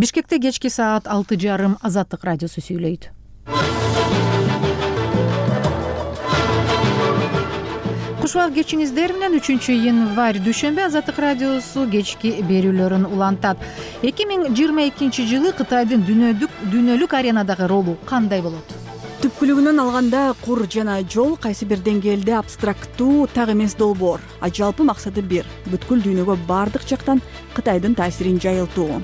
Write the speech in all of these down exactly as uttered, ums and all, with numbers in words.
Бишкекте кечки саат алты жарым Азаттык радиосу сүйлөйт. Кушубак кечиңиздер менен үчүнчү январь дүйшөмбү Азаттык радиосу кечки берүүлөрүн улантат. эки миң жыйырма экинчи жылы Кытайдын дүйнөлүк дүйнөлүк аренадагы ролу кандай болот? Түпкүлүгүнөн алганда кур жана жол кайсы бир деңгээлде абстракттуу так эмес долбоор, а жалпы максаты бир — бүткүл дүйнөгө бардык жактан Кытайдын таасирин жайылтуу.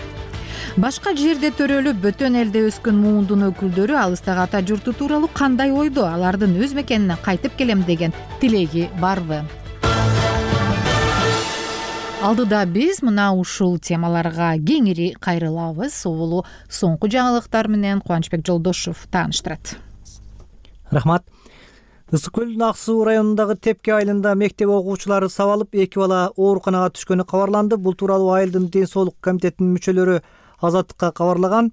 Башка жерде төрөлүп, бөтөн элде өскөн муундун өкүлдөрү алыстагы ата журту тууралуу кандай ойдо? Алардын өз мекенине кайтып келем деген тилеги барбы? Алдыда биз мына ушул темаларга кеңири кайрылабыз. Соболу соңку жаңылыктар менен Кубанычбек Жолдошов тааныштырат. Рахмат. Ысык көлдүн Ак суу районундагы Тепке айылында мектеп окуучулары сабалып, эки бала ооруканага түшкөнү кабарланды. Бул тууралуу айылдын ден соолук комитетинин мүчөлөрү Азаттыкка кабарлаган.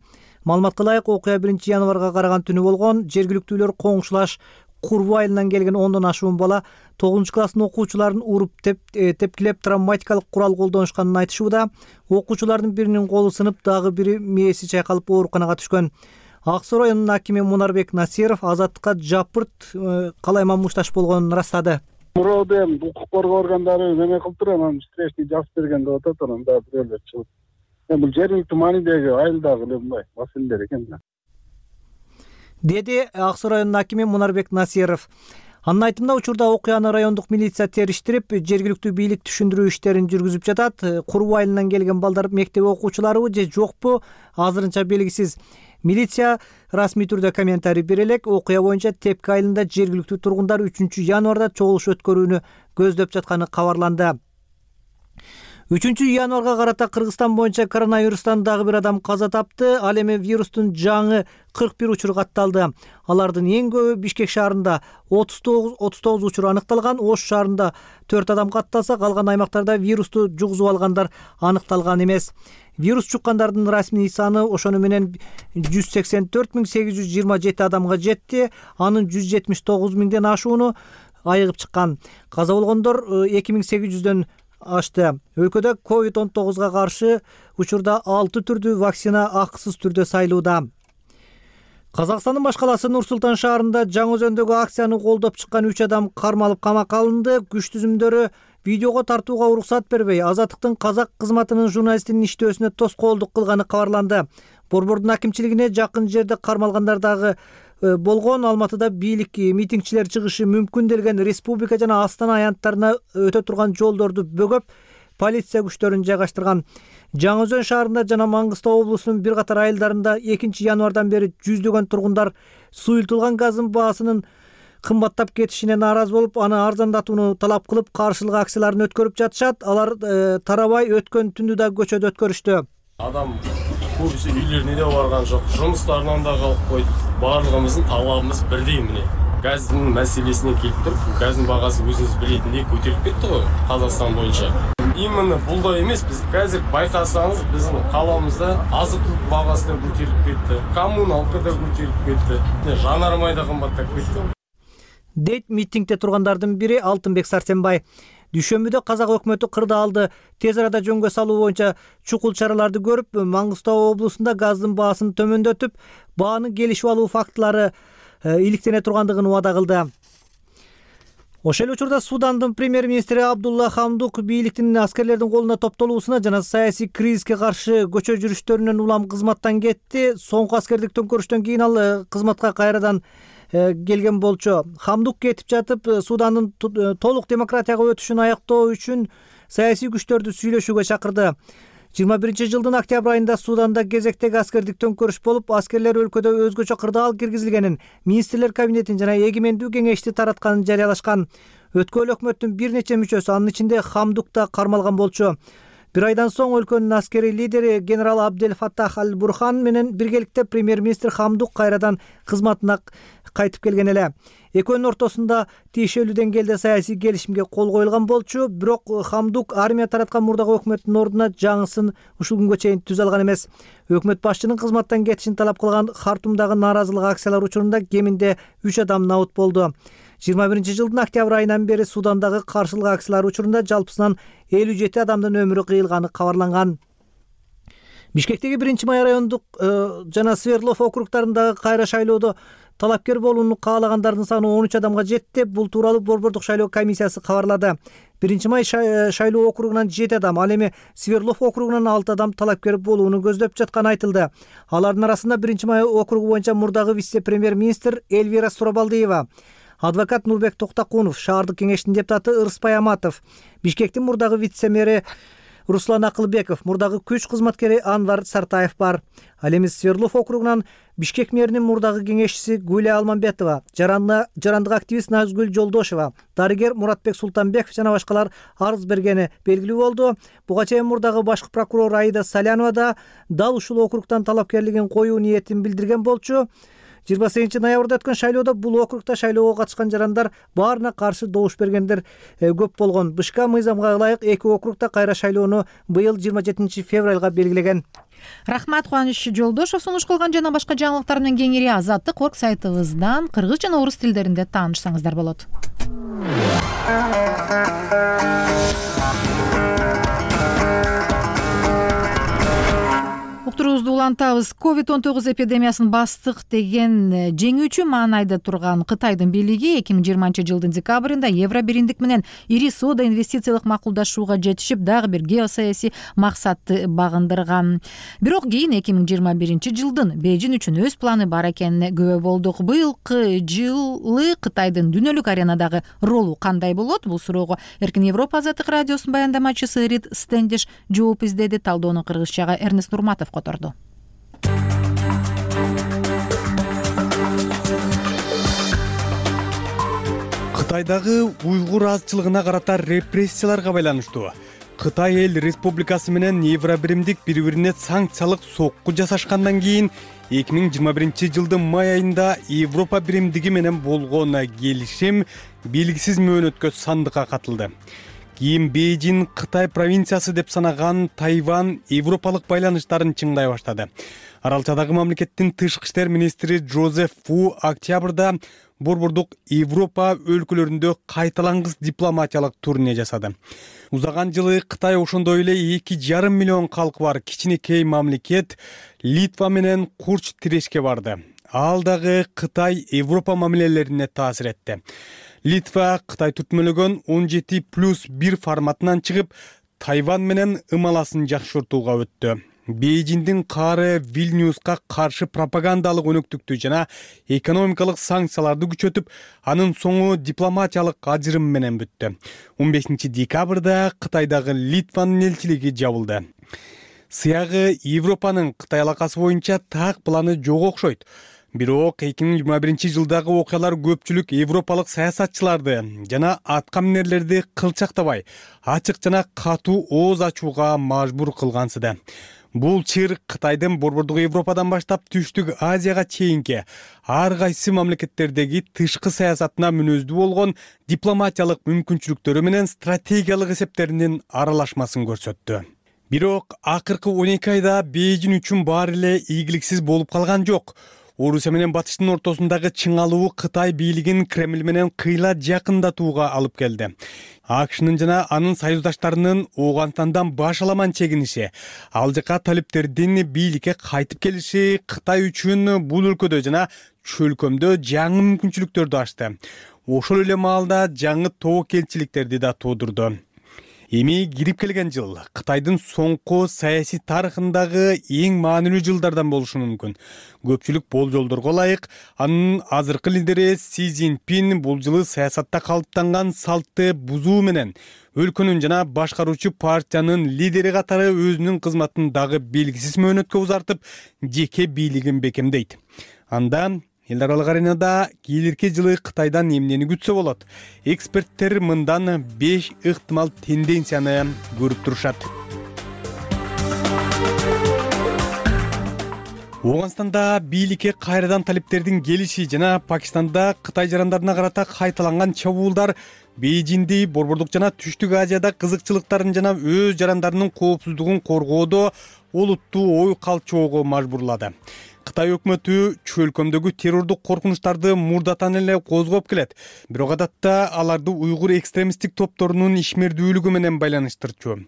Маалыматка ылайык, окуя биринчи январга караган түнү болгон. Жергиликтүүлөр коңшулаш Курбу айылынан келген ондон ашуун бала тогузунчу класстын окуучуларын уруп, теп, тепкилеп, травматикалык курал колдонушканын айтышууда. Окуучулардын биринин колу сынып, дагы бири мээси чайкалып ооруканага түшкөн. Ак суу районунун акими Мунарбек Насиров Азаттыкка жапырт калайма мушташ болгонун ырастады. Мурду эми укук коргоо органдары неме кылып туруп, анан встречный жазып берген деп атат, анан дагы бирөөлөр чыгып. Эми бул жергиликтүү маанидеги айылдагы эле мындай маселелер экен да. Деди Ак суу районунун акими Мунарбек Насиров. Анын айтымында, учурда окуяны райондук милиция териштирип, жергиликтүү бийлик түшүндүрүү иштерин жүргүзүп жатат. Курбу айылынан келген балдар мектеп окуучуларыбы же жокпу, азырынча белгисиз. Милиция расмий түрдө комментарий бере элек. Окуя боюнча Тепке айылында жергиликтүү тургундар үчүнчү январда чогулуш өткөрүүнү көздөп жатканы кабарланды. үчүнчү январга карата Кыргызстан боюнча коронавирустан дагы бир адам каза тапты. Ал эми вирустун жаңы кырк бир учуру катталды. Алардын эң көбү Бишкек шаарында отуз тогуз учур аныкталган. Ош шаарында төрт адам катталса, калган аймактарда вирусту жугузуп алгандар аныкталган эмес. Вирус чуккандардын расмий саны ошону менен жүз сексен төрт миң сегиз жүз жыйырма жети адамга жетти. Анын жүз жетимиш тогуз миңден ашууну айыгып чыккан. Каза болгондор эки миң сегиз жүздөн ашты. Өлкөдө ковид он тогузга каршы учурда алты түрдүү вакцина акысыз түрдө сайлууда. Казакстандын баш каласы Нур Султан шаарында Жаңы Өзөндөгү акцияны колдоп чыккан үч адам кармалып камакка алынды. Күч түзүмдөрү видеого тартууга уруксат бербей, Азаттыктын казак кызматынын журналистинин иштөөсүнө тоскоолдук кылганы кабарланды. Борбордун акимчилигине жакын жерде кармалгандар дагы болгон. Алматыда бийлик митингчилер чыгышы мүмкүн делген республика жана Астана аянттарына өтө турган жолдорду бөгөп, полиция күчтөрүн жайгаштырган. Жаңы Өзөн шаарында жана Маңгыстау облусунун бир катар айылдарында экинчи январдан бери жүздөгөн тургундар суюлтулган газдын баасынын кымбаттап кетишине нааразы болуп, аны арзандатууну талап кылып, каршылык акцияларын өткөрүп жатышат. Алар э, тарабай өткөн түндү да көчөдө өткөрүштү. Адам көбүсү үйлөрүнө да барган жок, жумуштарынан да калып койду. Барлыгыбыздын талабыбыз бирдей эмне. Газдын маселесине келип туруп, газдын багасы өзүңүз билетиндей көтөрүлүп кетти го Казакстан боюнча. Именно булда эмес, биз азыр байкасаңыз, биздин каламызда азык-түлүк багасы да көтөрүлүп кетти, коммуналка да көтөрүлүп кетти, жанармай да кымбаттап кетти. Дейт митингде тургандардын бири Алтынбек Сарсенбай. Дүйшөмбүдө казак өкмөтү кырдаалды тез арада жөнгө салуу боюнча чукул чараларды көрүп, Маңгыстау облусунда газдын баасын төмөндөтүп, бааны келишип алуу фактылары иликтене тургандыгын убада кылды. Ошол эле учурда Судандын премьер-министри Абдулла Хамдук бийликтин аскерлердин колуна топтолуусуна жана саясий кризиске каршы көчө жүрүштөрүнөн улам кызматтан кетти. Соңку аскердик төңкөрүштөн кийин ал кызматка кайрадан келген болчу. Хамдук кетип жатып, Судандын толук демократияга өтүшүн аяктоо үчүн саясий күчтөрдү сүйлөшүүгө чакырды. жыйырма биринчи жылдын октябрь айында Суданда кезектеги аскердик төңкөрүш болуп, аскерлер өлкөдө өзгөчө кырдаал киргизилгенин, министрлер кабинетин жана эгемендүү кеңешти таратканын жарыялашкан. Өткөн өкмөттүн бир нече мүчөсү, анын ичинде Хамдук да кармалган болчу. Бир айдан соң өлкөнүн аскерий лидери генерал Абдел Фаттах Аль-Бурхан менен биргеликте премьер-министр Хамдук кайрадан кызматына кайтып келген эле. Экөөнүн ортосунда тиешелүү деңгээлде саясий келишимге кол коюлган болчу, бирок Хамдук армия тараткан мурдагы өкмөттүн ордуна жаңысын ушул күнгө чейин түзө алган эмес. Өкмөт башчынын кызматтан кетишин талап кылган Хартумдагы нааразылык акциялары учурунда кеминде үч адам набыт болду. жыйырма биринчи жылдын октябрь айынан бери Судандагы каршылык акциялар учурунда жалпысынан элүү жети адамдын өмүрү кыйылганы кабарланган. Бишкектеги биринчи май райондук жана Свердлов округдарындагы кайра шайлоодо талапкер болууну каалагандардын саны он үч адамга жетти. Бул тууралуу Борбордук шайлоо комиссиясы кабарлады. биринчи май шайлоо округунан жети адам, ал эми Свердлов округунан алты адам талапкер болууну көздөп жатканы айтылды. Алардын арасында биринчи май округу боюнча мурдагы вице-премьер-министр Эльвира Сурабалдиева, адвокат Нурбек Токтакунов, шаардык кеңештин депутаты Ырыспай Аматов, Бишкектин мурдагы вице-мэри Руслан Акылбеков, мурдагы күч кызматкери Анвар Сартаев бар. Ал эми Свердлов округунан Бишкек мэринин мурдагы кеңешчиси Гүлия Алмамбетова, жарандык активист Назгүл Жолдошева, дарыгер Муратбек Султанбеков жана башкалар арыз бергени белгилүү болду. Буга чейин мурдагы башкы прокурор Аида Салянова да дал ушул округтан талапкерлигин коюу ниетин билдирген болчу. жыйырма сегизинчи ноябрда өткөн шайлоодо бул округда шайлоого катышкан жарандар баарына каршы добуш бергендер көп болгон. БШК мыйзамга ылайык эки округда кайра шайлоону быйыл жыйырма жетинчи февралга белгилеген. Рахмат, Кубаныч Жолдошов. Сунуш кылган жана башка жаңылыктар менен кеңири Азаттык орг сайтыбыздан кыргыз жана орус тилдеринде таанышсаңыздар болот. Уктуруубузду улантабыз. ковид он тогуз эпидемиясын бастык деген жеңүүчү маанайда турган Кытайдын бийлиги эки миң жыйырманчы жылдын декабрында Евро биримдик менен ири соода инвестициялык макулдашууга жетишип, дагы бир геосаясий максатты багындырган. Бирок кийин эки миң жыйырма биринчи жылдын Бейжин үчүн өз планы бар экенине күбө болдук. Быйылкы жылы Кытайдын дүйнөлүк аренадагы ролу кандай болот? Бул суроого Эркин Европа азаттык радиосунун баяндамачысы Рит Стендиш жооп издеди. Талдоону кыргызчага Эрнест Нурматов которду. Кытайдагы уйгур азчылыгына карата репрессияларга байланыштуу Кытай эл республикасы менен Евро биримдик бири-бирине санкциялык сокку жасашкандан кийин эки миң жыйырма биринчи жылдын май айында Европа биримдиги менен болгон келишим белгисиз мөөнөткө сандыкка катылды. Кийин Бейжин Кытай провинциясы деп санаган Тайвань европалык байланыштарын чыңдай баштады. Аралчадагы мамлекеттин тышкы иштер министри Джозеф Фу октябрда Борбордук Европа өлкөлөрүндө кайталангыс дипломатиялык турне жасады. Узаган жылы Кытай ошондой эле эки жарым миллион калкы бар кичинекей мамлекет Литва менен курч тирешке барды. Ал дагы Кытай Европа мамилелерине таасир этти. Литва Кытай түтмөлөгөн он жети плюс бир форматынан чыгып, Тайвань менен ымаласын жакшыртууга өттү. Бейжиндин каары Вильнюска каршы пропагандалык өнөктүктү жана экономикалык санкцияларды күчөтүп, анын соңу дипломатиялык ажырым менен бүттү. он бешинчи декабрда Кытайдагы Литванын элчилиги жабылды. Сыягы Европанын Кытай алакасы боюнча так планы жок окшойт. Бирок эки миң жыйырма биринчи жылдагы окуялар көпчүлүк европалык саясатчыларды жана аткаминерлерди кылчактабай, ачык жана катуу ооз ачууга мажбур кылгансыды. Бул чыр Кытайдын Борбордук Европадан баштап Түштүк Азияга чейинки ар кайсы мамлекеттердеги тышкы саясатына мүнөздүү болгон дипломатиялык мүмкүнчүлүктөрү менен стратегиялык эсептеринин аралашмасын көрсөттү. Бирок акыркы он эки айда Бейжин үчүн баары эле ийгиликсиз болуп калган жок. Орусия менен Батыштын ортосундагы чыңалуу Кытай бийлигин Кремль менен кыйла жакындатууга алып келди. АКШнын жана анын союздаштарынын Ооганстандан баш аламан чегиниши, ал жака талиптердин бийликке кайтып келиши Кытай үчүн бул өлкөдө жана чөлкөмдө жаңы мүмкүнчүлүктөрдү ачты. Ошол эле маалда жаңы тобокелчиликтерди да туудурду. Эми кирип келген жыл Кытайдын соңку саясий тарыхындагы эң маанилүү жылдардан болушу мүмкүн. Көпчүлүк болжолдорго ылайык, анын азыркы лидери Си Цзиньпин бул жылы саясатта калыптанган салтты бузуу менен өлкөнүн жана башкаруучу партиянын лидери катары өзүнүн кызматын дагы белгисиз мөөнөткө узартып, жеке бийлигин бекемдейт. Анда эл аралык аренада келирки жылы Кытайдан эмнени күтсө болот? Эксперттер мындан беш ыктымал тенденцияны көрүп турушат. Ооганстанда бийликке кайрадан талиптердин келиши жана Пакистанда Кытай жарандарына карата кайталанган чабуулдар Бейжинди Борбордук жана Түштүк Азияда кызыкчылыктарын жана өз жарандарынын коопсуздугун коргоодо олуттуу ой калчоого мажбурлады. Кытай өкмөтү чөлкөмдөгү террордук коркунучтарды мурдатан эле козгоп келет. Бирок адатта аларды уйгур экстремисттик топторунун ишмердүүлүгү менен байланыштырчу.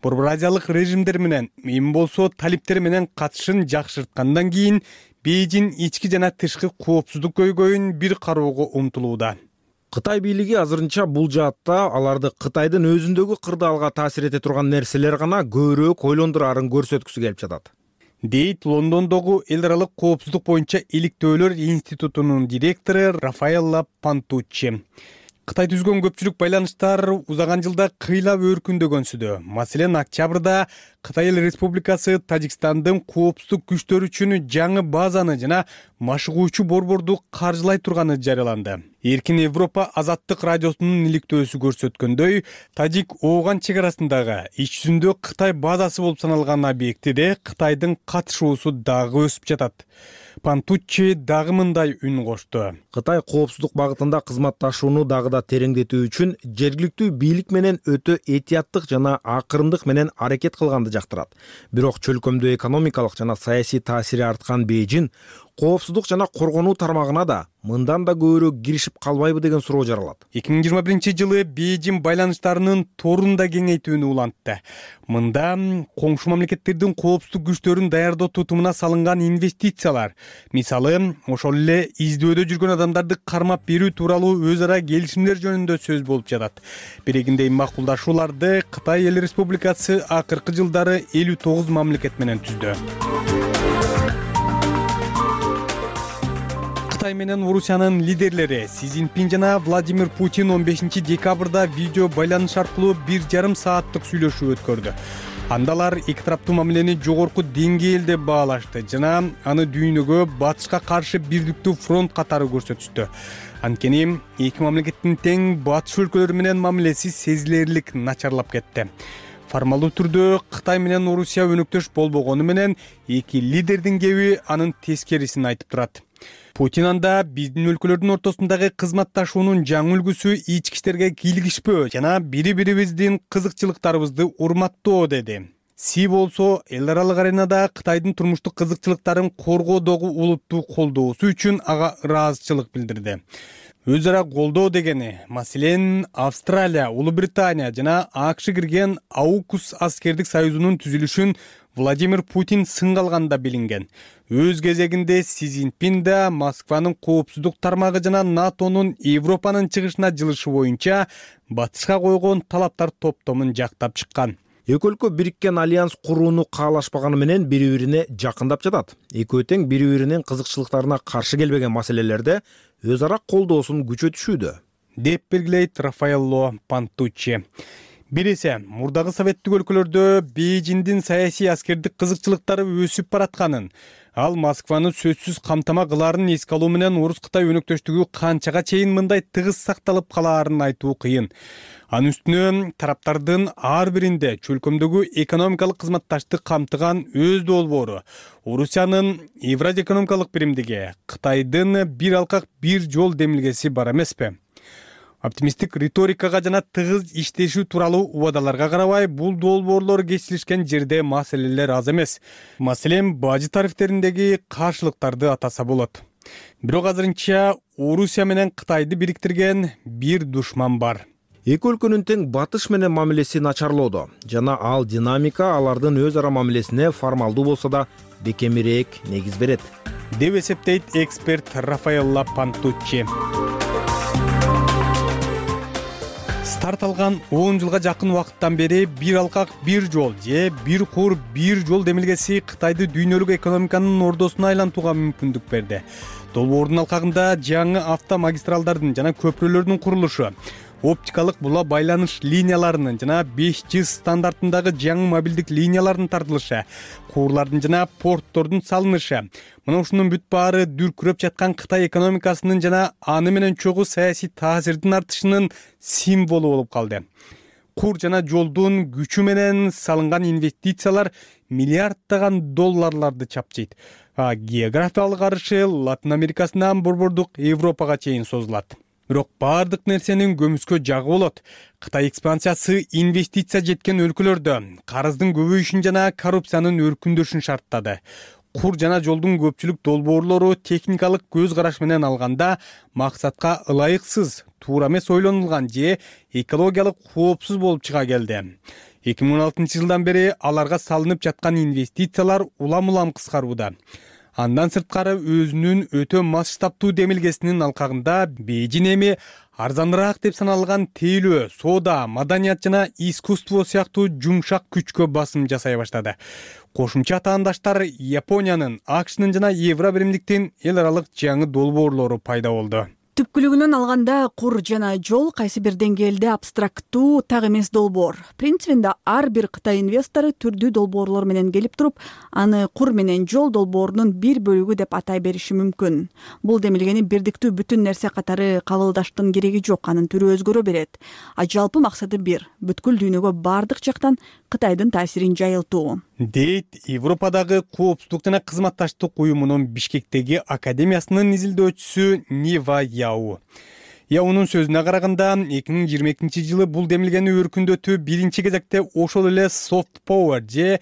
Борбор азиялык режимдер менен, эми болсо талиптер менен катышын жакшырткандан кийин Бейжин ички жана тышкы коопсуздук көйгөйүн бир кароого умтулууда. Кытай бийлиги азырынча бул жаатта аларды Кытайдын өзүндөгү кырдаалга таасир эте турган нерселер гана көбүрөөк ойлондурарын көрсөткүсү келип жатат, дейт Лондондогу эл аралык коопсуздук боюнча иликтөөлөр институтунун директору Рафаэлла Пантуччи. Кытай түзгөн көпчүлүк байланыштар узаган жылда кыйлап өркүндөгөнсүдө. Маселен, октябрда Кытай Эл Республикасы Тажикстандын коопсуздук күчтөрү үчүн жаңы базаны жана машыгуучу борборду каржылай турганы жарыяланды. Эркин Европа азаттык радиосунун иликтөөсү көрсөткөндөй, Тажик Ооган чек арасындагы ич жүзүндө Кытай базасы болуп саналган объектиде Кытайдын катышуусу дагы өсүп жатат. Пантуччи дагы мындай үн кошту. Кытай коопсуздук багытында кызматташууну дагы да тереңдетүү үчүн жергиликтүү бийлик менен өтө этияттык жана акырындык менен аракет кылганды жактырат. Бирок чөлкөмдө экономикалык жана саясий таасири арткан Бейжин коопсуздук жана коргонуу тармагына да мындан да көбүрөөк киришип калбайбы деген суроо жаралат. эки миң жыйырма биринчи жылы Бейжин байланыштарынын торун да кеңейтүүнү улантты. Мында коңшу мамлекеттердин коопсуздук күчтөрүн даярдоо тутумуна салынган инвестициялар, мисалы, ошол эле издөөдө жүргөн адамдарды кармап берүү тууралуу өз ара келишимдер жөнүндө сөз болуп жатат. Бирегиндей макулдашууларды Кытай Эл Республикасы акыркы жылдары элүү тогуз мамлекет менен түздү. Кытай менен Орусиянын лидерлери Си Цзиньпин жана Владимир Путин он бешинчи декабрда видео байланыш аркылуу бир жарым сааттык сүйлөшүү өткөрдү. Анда алар эки тараптуу мамилени жогорку деңгээлде баалашты жана аны дүйнөгө батышка каршы бирдиктүү фронт катары көрсөтүштү. Анткени эки мамлекеттин тең батыш өлкөлөрү менен мамилеси сезилерлик начарлап кетти. Формалдуу түрдө Кытай менен Орусия өнөктөш болбогону менен эки лидердин кеби анын тескерисин айтып турат. Путин анда биздин өлкөлөрдүн ортосундагы кызматташуунун жаңы үлгүсү ички иштерге кийлигишпөө жана бири-бирибиздин кызыкчылыктарыбызды урматтоо деди. Си болсо эл аралык аренада Кытайдын турмуштук кызыкчылыктарын коргоодогу улуттуу колдоосу үчүн ага ыраазычылык билдирди. Өз ара колдоо дегени, маселен, Австралия, Улуу Британия жана АКШ кирген Аукус аскердик союзунун түзүлүшүн Владимир Путин сынга алганда билинген. Өз кезегинде Си Цзиньпин да Москванын коопсуздук тармагы жана НАТОнун Европанын чыгышына жылышы боюнча батышка койгон талаптар топтомун жактап чыккан. Эки өлкө бириккен альянс курууну каалашпаганы менен бири-бирине жакындап жатат. Экөө тең бири-биринин кызыкчылыктарына каршы келбеген маселелерде өз ара колдоосун күчөтүшүүдө, деп белгилейт Рафаэлло Пантуччи. Бирисе, мурдагы советтик өлкөлөрдө Бейжиндин саясий аскердик кызыкчылыктары өсүп баратканын, ал Москваны сөзсүз камтама кылаарын эске алуу менен Орус-Кытай өнөктөштүгү канчага чейин мындай тыгыз сакталып калаарын айтуу кыйын. Анын үстүнө тараптардын ар биринде чөлкөмдөгү экономикалык кызматташтык камтыган өз долбоору, Орусиянын Евразия экономикалык биримдиги, Кытайдын бир алкак бир жол демилгеси бар эмеспи? Оптимисттик риторикага жана тыгыз иштешүү тууралуу убадаларга карабай, бул долбоорлор кесилишкен жерде маселелер аз эмес. Маселен, бажы тарифтериндеги каршылыктарды атаса болот. Бирок азырынча Орусия менен Кытайды бириктирген бир душман бар. Эки өлкөнүн тең батыш менен мамилеси начарлоодо жана ал динамика алардын өз ара мамилесине формалдуу болсо да бекемирээк негиз берет, деп эсептейт эксперт Рафаэлла Пантуччи. Старт алган он жылга жакын убакыттан бери бир алкак бир жол же бир кур бир жол демилгеси Кытайды дүйнөлүк экономиканын ордосуна айлантууга мүмкүндүк берди. Долбоордун алкагында жаңы автомагистралдардын жана көпүрөлөрдүн курулушу, оптикалык була байланыш линияларынын жана беш джи стандартындагы жаңы мобилдик линиялардын тартылышы, куурлардын жана порттордун салынышы. Мына ушунун бүт баары дүркүрөп жаткан Кытай экономикасынын жана аны менен чогуу саясий таасирдин артышынын символу болуп калды. Кур жана жолдун күчү менен салынган инвестициялар миллиарддаган долларларды чапчыйт. А географиялык арышы Латын Америкасынан борбордук Европага чейин созулат. Бирок баардык нерсенин көмүскө жагы болот. Кытай экспансиясы инвестиция жеткен өлкөлөрдө карыздын көбөйүшүн жана коррупциянын өркүндөшүн шарттады. кур жана жолдун көпчүлүк долбоорлору техникалык көз караш менен алганда максатка ылайыксыз, туура эмес ойлонулган же экологиялык коопсуз болуп чыга келди. эки миң он алтынчы жылдан бери аларга салынып жаткан инвестициялар улам улам кыскарууда. Андан сырткары өзүнүн өтө масштабтуу демилгесинин алкагында Бейжин эми арзаныраак деп саналган тейлөө, соода, маданият жана искусство сыяктуу жумшак күчкө басым жасай баштады. Кошумча таандаштар Япониянын, АКШнын жана Евробиримдиктин эл аралык жаңы долбоорлору пайда болду. Түпкүлүгүнөн алганда кур жана жол кайсы бир деңгээлде абстрактуу так эмес долбоор. Принцибинде ар бир Кытай инвестору түрдүү долбоорлор менен келип туруп, аны кур менен жол долбоорунун бир бөлүгү деп атай бериши мүмкүн. Бул демилгени бирдиктүү бүтүн нерсе катары кабылдаштын кереги жок, анын түрү өзгөрө берет. А жалпы максаты бир, бүткүл дүйнөгө бардык жактан Кытайдын таасирин жайылтуу. Дейт Европадагы коопсуздук жана кызматташтык уюмунун Бишкектеги академиясынын изилдөөчүсү Нива Яу. Яунун сөзүнө караганда, эки миң жыйырма экинчи жылы бул демилгени өркүндөтүү биринчи кезекте ошол эле soft power же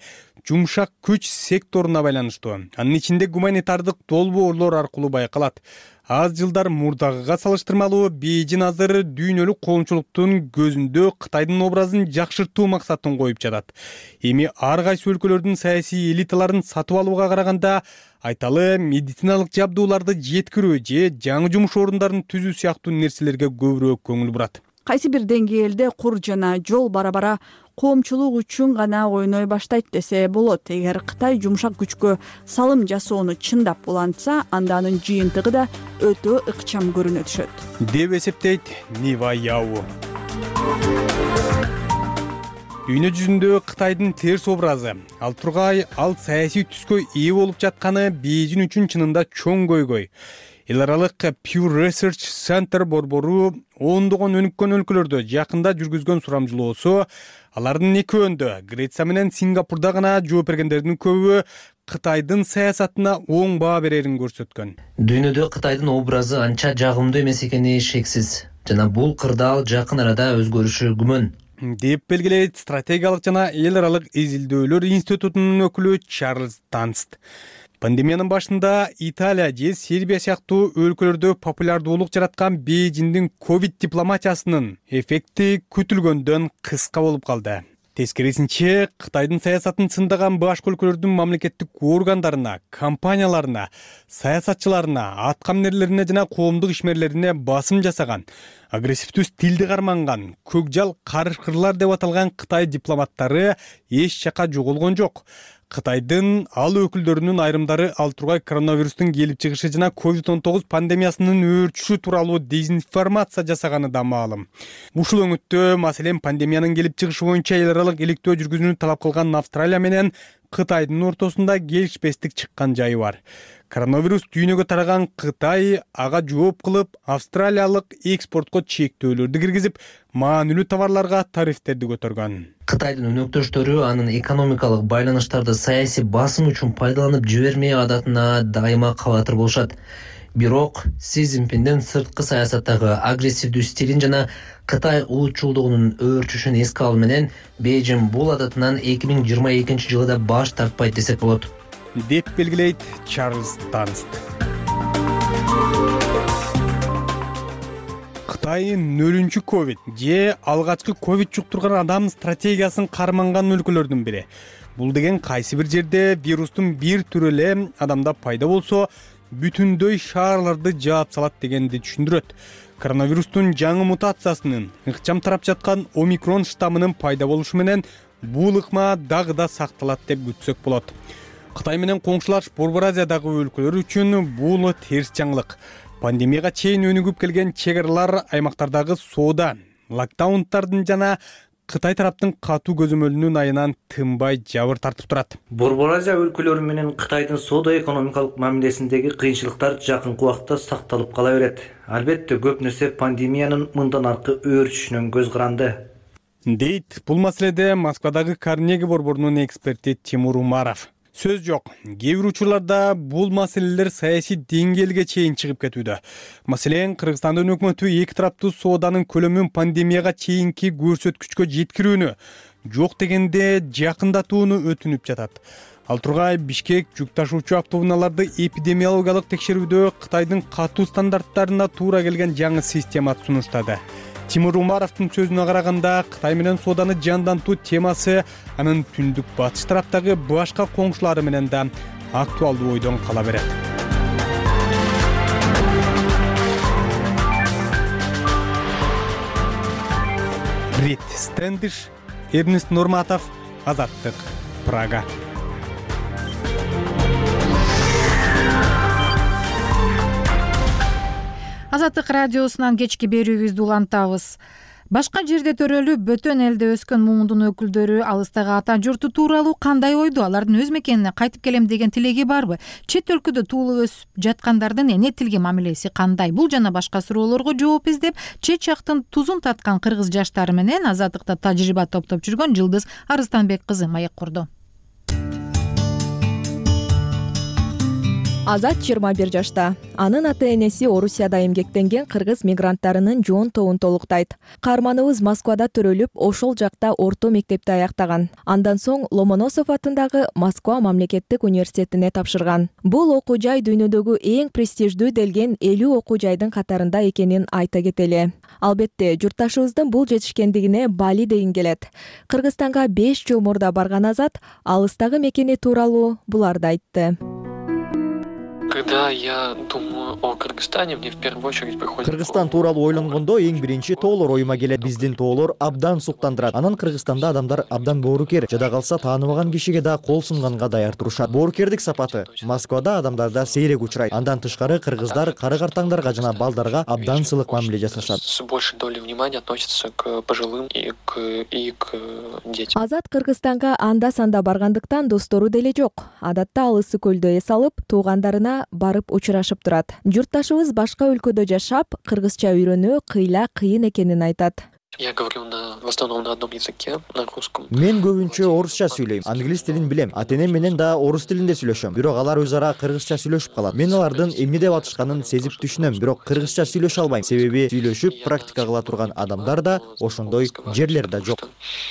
жумшак күч секторуна байланыштуу. Анын ичинде гуманитардык долбоорлор аркылуу байкалат. Аз жылдар мурдагыга салыштырмалуу Бейжин азыр дүйнөлүк коомчулуктун көзүндө Кытайдын образын жакшыртуу максатын коюп жатат. Эми ар кайсы өлкөлөрдүн саясий элиталарын сатып алууга караганда айталы медициналык жабдууларды жеткирүү же жаңы жумуш орундарын түзүү сыяктуу нерселерге көбүрөөк көңүл бурат. Кайсы бир деңгээлде кур жана жол бара-бара коомчулук үчүн гана ойной баштайт десе болот. Эгер Кытай жумшак күчкө салым жасоону чындап улантса, анда анын жыйынтыгы да өтө ыкчам көрүнө түшөт, деп эсептейт Нива Яу. Дүйнө жүзүндө Кытайдын терс образы, ал тургай ал саясий түскө ээ болуп жатканы Бейжин үчүн чынында чоң көйгөй. Эл аралык Pew Research Center борбору ондогон өнүккөн өлкөлөрдө жакында жүргүзгөн сурамжылоосу, алардын экөөндө Греция менен Сингапурда гана жооп бергендердин көбү Кытайдын саясатына оң баа берерин көрсөткөн. Дүйнөдө Кытайдын образы анча жагымдуу эмес экени шексиз, жана бул кырдаал жакын арада өзгөрүшү күмөн, деп белгилейт стратегиялык жана эл аралык изилдөөлөр институтунун өкүлү Чарльз Танст. Пандемиянын башында Италия же Сербия сыяктуу өлкөлөрдө популярдуулук жараткан Бейжиндин ковид дипломатиясынын эффекти күтүлгөндөн кыска болуп калды. Тескерисинче, Кытайдын саясатын сындаган башка өлкөлөрдүн мамлекеттик органдарына, компанияларына, саясатчыларына, аткаминерлерине жана коомдук ишмерлерине басым жасаган, агрессивдүү стилди карманган, көкжал карышкырлар деп аталган Кытай дипломаттары эч жака жоголгон жок. Кытайдын ал өкүлдөрүнүн айрымдары ал тургай коронавирустун келип чыгышы жана ковид он тогуз пандемиясынын өөрчүшү тууралуу дезинформация жасаганы да маалым. Ушул өңүттө, маселен, пандемиянын келип чыгышы боюнча эл аралык иликтөө жүргүзүүнү талап кылган Австралия менен Кытайдын ортосунда келишпестик чыккан жайы бар. Коронавирус дүйнөгө тараган Кытай ага жооп кылып, австралиялык экспортко чектөөлөрдү киргизип, маанилүү товарларга тарифтерди көтөргөн. Кытайдын өнөктөштөрү анын экономикалык байланыштарды саясий басым үчүн пайдаланып жибермей адатына дайыма кабатыр болушат. Бирок Си Цзиньпиндин сырткы саясаттагы агрессивдүү стилин жана Кытай улутчулдугунун өөрчүшүн эске алуу менен Бейжин бул адатынан эки миң жыйырма экинчи жылда баш тартпайт десек болот, деп белгилейт Чарльз Танст. Кытай нөлүнчү ковид же алгачкы ковид жуктурган адам стратегиясын карманган өлкөлөрдүн бири. Бул деген кайсы бир жерде вирустун бир түрү эле адамда пайда болсо, бүтүндөй шаарларды жаап салат дегенди түшүндүрөт. Коронавирустун жаңы мутациясынын ыкчам тарап жаткан омикрон штаммынын пайда болушу менен бул ыкма дагы да сакталат деп күтсөк болот. Кытай менен коңшулаш Борбор Азиядагы өлкөлөр үчүн бул терс жаңылык. Пандемияга чейин өнүгүп келген чек аралар, аймактардагы соода, локдаунтардын жана Кытай тараптын катуу көзөмөлүнүн айынан тынбай жабыр тартып турат. Борбор Азия өлкөлөрү менен Кытайдын соода экономикалык мамилесиндеги кыйынчылыктар жакынкы убакта сакталып кала берет. Албетте көп нерсе пандемиянын мындан аркы өөрчүшүнөн көз каранды, дейт бул маселеде Москвадагы Карнеги борборунун эксперти Тимур Умаров. Сөз жок, кээ бир учурларда бул маселелер саясий деңгээлге чейин чыгып кетүүдө. Маселен, Кыргызстандын өкмөтү эки тараптуу сооданын көлөмүн пандемияга чейинки көрсөткүчкө жеткирүүнү, жок дегенде жакындатууну өтүнүп жатат. Ал тургай Бишкек жүк ташуучу автоунааларды эпидемиологиялык текшерүүдө Кытайдын катуу стандарттарына туура келген жаңы система сунуштады. Тимур Умаровдун сөзүнө караганда, Кытай менен сооданы жандантуу темасы анын түндүк батыш тараптагы башка коңшулары менен да актуалдуу ойдон кала берет. Рит Стендиш, Эрнест Нурматов, Азаттык, Прага. Азаттык радиосунан кечки берүүбүздү улантабыз. Башка жерде төрөлүп, бөтөн элде өскөн муңдун өкүлдөрү алыстагы ата журту тууралуу кандай ойдо? Алардын өз мекенине кайтып келем деген тилеги барбы? Чет өлкөдө туулуп өсүп жаткандардын эне тилге мамилеси кандай? Бул жана башка суроолорго жооп издеп, чет жактын тузун таткан кыргыз жаштары менен Азаттыкта тажрыйба топтоп жүргөн Жылдыз Арыстанбек кызы маек курду. Азат жыйырма бир жашта. Анын ата-энеси Орусияда эмгектенген кыргыз мигранттарынын жоон тобун толуктайт. Каарманыбыз Москвада төрөлүп, ошол жакта орто мектепти аяктаган. Андан соң Ломоносов атындагы Москва мамлекеттик университетине тапшырган. Бул окуу жай дүйнөдөгү эң престиждүү делген элүү окуу жайдын катарында экенин айта кетели. Албетте, журтташыбыздын бул жетишкендигине бали дегин келет. Кыргызстанга беш жыл мурда барган Азат алыстагы мекени тууралуу буларды айтты. Когда я думаю о Кыргызстане, мне в первую очередь приходит... Кыргызстан тууралуу ойлонгондо эң биринчи тоолор оюма келет. Биздин тоолор абдан суктандырат. Анан Кыргызстанда адамдар абдан боорукер. Жада калса тааныбаган кишиге да кол сунганга даяр турушат. Боорукердик сапаты Москвада адамдарда сейрек учурайт. Андан тышкары кыргыздар кары-картаңдарга жана балдарга абдан сылык мамиле жасашат. С большей долей внимания относятся к пожилым и к, и к детям. Азат Кыргызстанга анда-санда баргандыктан достору деле жок. Адатта ал ысык көлдө эс алып, туугандарына барып учурашып турат. Журтташыбыз башка өлкөдө жашап, кыргызча үйрөнүү кыйла кыйын экенин айтат. Я говорю на, в основном на одном языке, на русском. Мен көбүнчө орусча сүйлөйм. Англис тилин билем. Ата-энем менен да орус тилинде сүйлөшөм. Бирок алар өз ара кыргызча сүйлөшүп калат. Мен алардын эмне деп атышканын сезип түшүнөм, бирок кыргызча сүйлөшө албайм. Себеби сүйлөшүп практика кыла турган адамдар да ошондой жерлер да жок.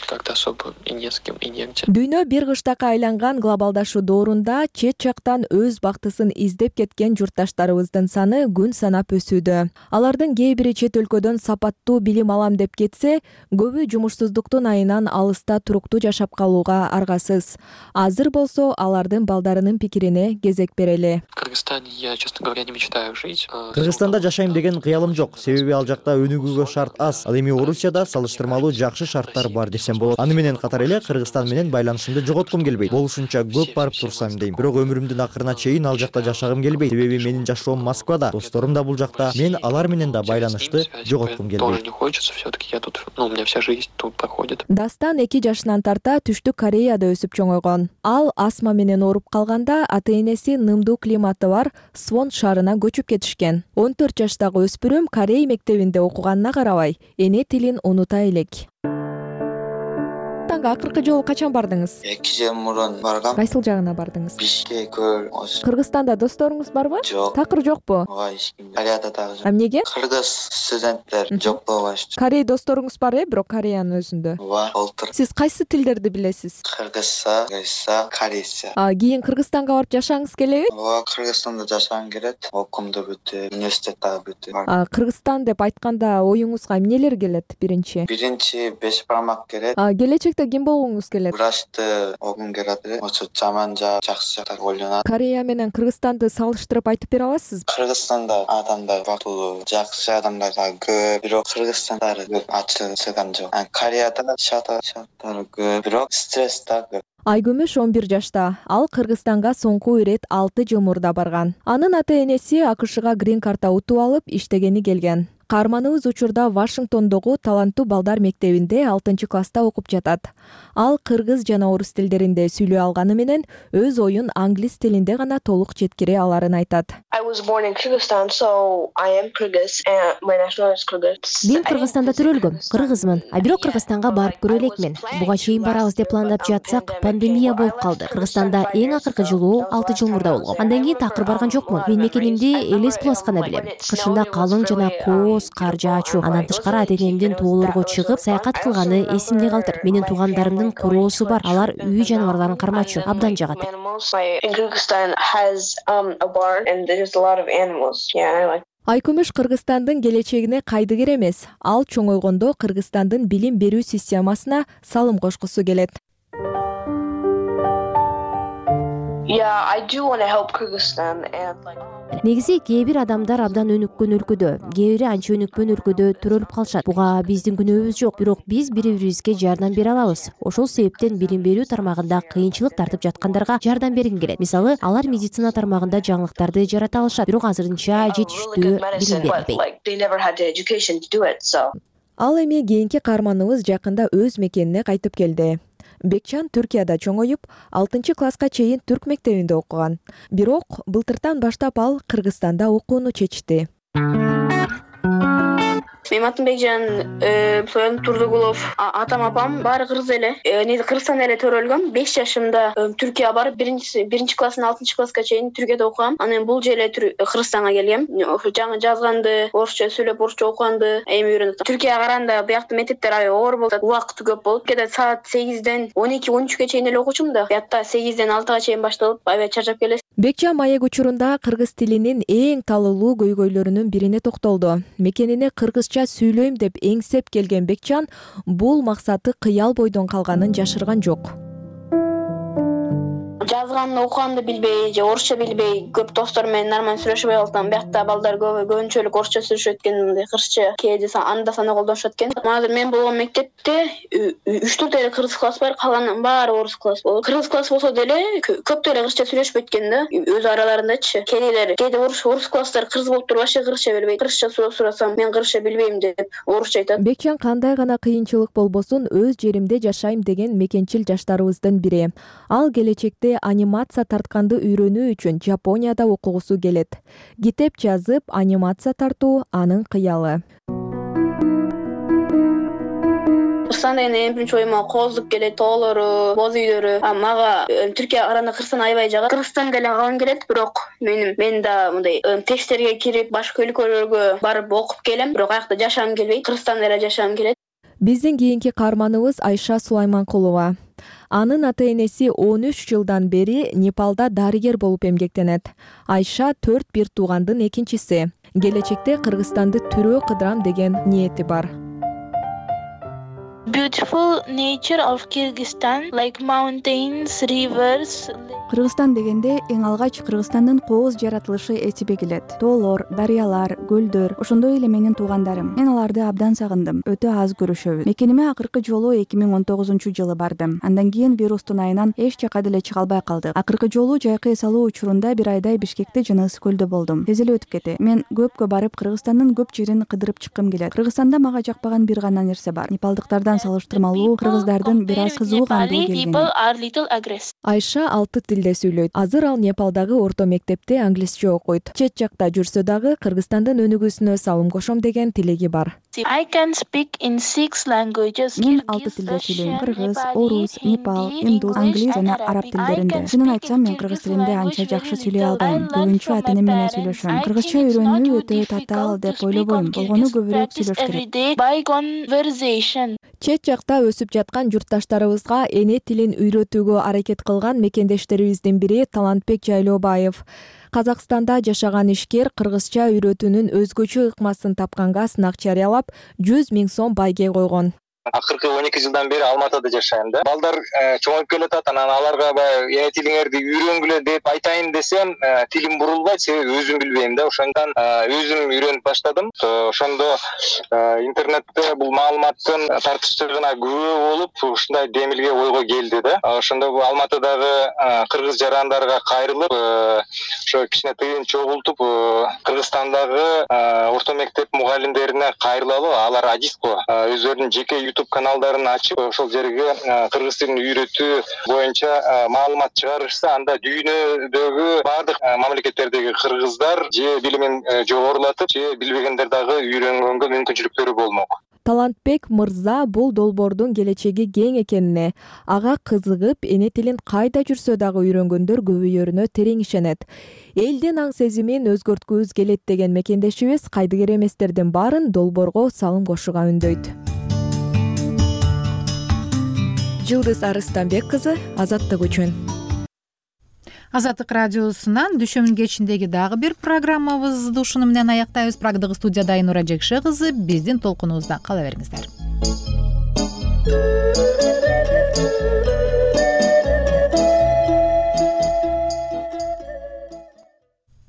Как-то особо и не с кем, и негде. Дүйнө бир кыштакка айланган глобалдашуу доорунда чет жактан өз бактысын издеп кеткен журтташтарыбыздын саны күн санап өсүүдө. Алардын кээ бири чет өлкөдөн сапаттуу билим алам деп кетсе, көбү жумушсуздуктун айынан алыста туруктуу жашап калууга аргасыз. Азыр болсо алардын балдарынын пикирине кезек берели. В Кыргызстане я, честно говоря, не мечтаю жить. Кыргызстанда жашайм деген кыялым жок. Себеби ал жакта өнүгүүгө шарт аз. Ал эми Орусияда салыштырмалуу жакшы шарттар бар десем болот. Аны менен катар эле Кыргызстан менен байланышымды жоготкум келбейт. Болушунча көп барып турсам дейм. Бирок өмүрүмдүн акырына чейин ал жакта жашагым келбейт. Себеби менин жашоом Москвада, досторум да бул жакта. Мен алар менен да байланышты жоготкум келбейт. Тоже не хочется, все-таки я тут, ну, у меня вся жизнь тут проходит. Дастан эки жашынан тарта Түштүк Кореяда өсүп чоңойгон. Ал астма менен ооруп калганда ата-энеси нымдуу климаты бар Свон шаарына көчүп кетишкен. он төрт жаштагы өспүрүм Корей мектебинде окуганына карабай, эне тилин унута элек. Акыркы жолу качан бардыңыз? эки жыл мурун баргам. Кайсыл жагына бардыңыз? Бишкек, көл. Кыргызстанда досторуңуз барбы? Жок. Такыр жокпу? Ооба, эч ким. Кореяда дагы жок. Эмнеге? Кыргыз студенттер жок болбаштыр. Корей досторуңуз бар э, бирок Кореянын өзүндө. Ооба, болтур. Сиз кайсы тилдерди билесиз? Кыргызча, кыргызча, корейче. А кийин Кыргызстанга барып жашагыңыз келеби? Ооба, Кыргызстанда жашагым келет. Окуумду бүтүп, университет дагы бүтүп. А Кыргызстан деп айтканда оюңузга эмнелер келет биринчи? Биринчи беш бармак келет. А келечекте ким болгуңуз келет? Врачты окугум келет эле. Ошо жаман жак, жакшы жактар ойлонот. Корея менен Кыргызстанды салыштырып айтып бере аласызбы? Кыргызстанда адамдар бактылуу, жакшы адамдар дагы көп, бирок кыргызстандары көп ачылган жок. Кореяда шата шаттары көп, бирок стресс да көп. Айгүмүш он бир жашта. Ал Кыргызстанга соңку ирет алты жыл мурда барган. Анын ата-энеси АКШга грин карта утуп алып иштегени келген. Каарманыбыз учурда Вашингтондогу таланттуу балдар мектебинде алтынчы класста окуп жатат. Ал кыргыз жана орус тилдеринде сүйлөй алганы менен өз оюн англис тилинде гана толук жеткире аларын айтат. Мен Кыргызстанда төрөлгөм, кыргызмын. А бирок Кыргызстанга барып көрө элекмин. Буга чейин барабыз деп пландап жатсак, пандемия болуп калды. Кыргызстанда эң акыркы жылуу алты жыл мурда болгон. Андан кийин такыр барган жокмун. Мен мекенимди Элес Плас гана билем. Кышында калың жана коор кооз, кар жаачу. Андан тышкары ата-энемдин тоолорго чыгып саякат кылганы эсимде калтыр. Менин туугандарымдын короосу бар. Алар үй жаныбарларын кармачу. Абдан жагат. Айкүмүш Кыргызстандын келечегине кайдыгер эмес. Ал чоңойгондо Кыргызстандын билим берүү системасына салым кошкусу келет. Негизи кээ бир адамдар абдан өнүккөн өлкөдө, кээ бири анча өнүкпөн өлкөдө төрөлүп калышат. Буга биздин күнөөбүз жок, бирок биз бири-бирибизге жардам бере алабыз. Ошол себептен билим берүү тармагында кыйынчылык тартып жаткандарга жардам бергим келет. Мисалы, алар медицина тармагында жаңылыктарды жарата алышат, бирок азырынча жетиштүү билим берилбейт. Ал эми кийинки каарманыбыз жакында өз мекенине кайтып келди. Бекчан Түркияда чоңоюп, алтынчы класска чейин түрк мектебинде окуган. Бирок былтыртан баштап ал Кыргызстанда окууну чечти. Менин атым Бекжан, союм Турдугулов. Атам апам баары кыргыз эле. Неде Кыргызстанда эле төрөлгөм. беш жашымда Түркияга барып, биринчи биринчи класстан алтынчы класска чейин Түркияда окугам. Анан бул же эле Кыргызстанга келгем. Жаңы жазганды, орусча сүйлөп, орусча окуганды эми үйрөнүп. Түркияга караганда буякта мектептер аябай оор болот, убакыты көп болот. Түркияда саат сегизден он эки он үчкө чейин эле окучумун да. Буякта сегизден алтыга чейин башталып, аябай чарчап келесиз. Бекчан маек учурунда кыргыз тилинин эң талуулуу көйгөйлөрүнүн бирине токтолду. Мекенине кыргызча сүйлөйм деп эңсеп келген Бекчан бул максаты кыял бойдон калганын жашырган жок. Жазганды, окуганды билбей, же орусча билбей, көп достор менен нормально сүйлөшпөй калсам, биякта балдар көп көбүнчөлүк орусча сүйлөшөт экен, мындай кыргызча кээде анда санда колдонушат экен. Азыр мен болгон мектепте үч төрт эле кыргыз класс бар, калганын баары орус класс болот. Кыргыз класс болсо деле көп деле кыргызча сүйлөшпөйт экен да, өз араларындачы. Кээделер, кээде орус орус класстар кыргыз болуп туруп вообще кыргызча билбейт. Кыргызча сурасам, мен кыргызча билбейм деп орусча айтат. Бекчан кандай гана кыйынчылык болбосун өз жеримде жашайм деген мекенчил жаштарыбыздын бири. Ал келечекте анимация тартканды үйрөнүү үчүн Жапонияда окугусу келет. Китеп жазып, анимация тартуу анын кыялы. Кыргызстан деген эң биринчи оюма кооздук келет, тоолору, боз үйлөрү. Мага Түркияга караганда Кыргызстан аябай жагат. Кыргызстанда деле калгым келет, бирок мен мен да мындай тексттерге кирип, башка өлкөлөргө барып окуп келем, бирок аякта жашагым келбейт. Кыргызстанда эле жашагым келет. Биздин кийинки каарманыбыз Айша Сулайманкулова. Анын ата-энеси он үч жылдан бери Непалда дарыгер болуп эмгектенет. Айша төрт бир туугандын экинчиси. Келечекте Кыргызстанды түрөө кыдырам деген ниети бар. Beautiful nature of Kyrgyzstan, like mountains, rivers. Кыргызстан дегенде эң алгач Кыргызстандын кооз жаратылышы эсиме келет. Тоолор, дарыялар, көлдөр, ошондой эле менин туугандарым. Мен аларды абдан сагындым. Өтө аз көрүшөбүз. Мекениме акыркы жолу эки миң он тогузунчу жылы бардым. Андан кийин вирустун айынан эч жака деле чыга албай калдык. Акыркы жолу жайкы эс алуу учурунда бир айдай Бишкекте жана Ысык көлдө болдум. Тез эле өтүп кетти. Мен көпкө барып Кыргызстандын көп жерин кыдырып чыккым келет. Кыргызстанда мага жакпаган бир гана нерсе бар. Непалдыктардан салыштырмалуу кыргыздардын бир аз кызуугандуу келгени. Айша алты тилде сүйлөйт. Азыр ал Непалдагы орто мектепте англисче окуйт. Чет жакта жүрсө дагы Кыргызстандын өнүгүүсүнө салым кошом деген тилеги бар. I can speak in six languages. Мен алты тилде сүйлөйм: кыргыз, орус, непал, индус, англис жана араб тилдеринде. Чынын айтсам, мен кыргыз тилинде анча жакшы сүйлөй албайм. Көбүнчө ата-энем менен сүйлөшөм. Кыргызча үйрөнүү өтө татаал деп ойлобойм. Болгону көбүрөөк сүйлөш керек. Чет жакта өсүп жаткан журтташтарыбызга эне тилин үйрөтүүгө аракет кылган мекендештерибиздин бири Талантбек Жайлообаев. Казакстанда жашаган ишкер кыргызча үйрөтүүнүн өзгөчө ыкмасын тапканга сынак жарыялап, жүз миң сом байге койгон. Акыркы он эки жылдан бери Алматыда жашайм да. Балдар чоңоюп келатат, анан аларга баягы эне тилиңерди үйрөнгүлө деп айтайын десем, тилим бурулбайт, себеби өзүм билбейм да. Ошондон өзүм үйрөнүп баштадым. Ошондо интернетте бул маалыматтын тартыштыгына күбө болуп, ушундай демилге ойго келди да. Ошондо бул Алматыдагы кыргыз жарандарга кайрылып, ошо кичине тыйын чогултуп, Кыргызстандагы орто мектеп мугалимдерине кайрылалы, алар адиско өздөрүнүн жеке YouTube каналдарын ачып, ошол жерге кыргыз тилин үйрөтүү боюнча маалымат чыгарышса, анда дүйнөдөгү бардык мамлекеттердеги кыргыздар же билимин жогорулатып, же билбегендер дагы үйрөнгөнгө мүмкүнчүлүктөрү болмок. талантбек мырза бул долбоордун келечеги кең экенине, ага кызыгып эне тилин кайда жүрсө дагы үйрөнгөндөр көбөйөрүнө терең ишенет. Элдин аң сезимин өзгөрткүбүз келет деген мекендешибиз кайдыгер эместердин баарын долбоорго салым кошууга үндөйт. Жылдыз Арыстанбек кызы, Азаттык үчүн. Азаттык радиосунан дүшөмүн кечиндеги дагы бир программабызды ушуну менен аяктайбыз. Прагдагы студияда Айнура Жекше кызы, биздин толкунубузда кала бериңиздер.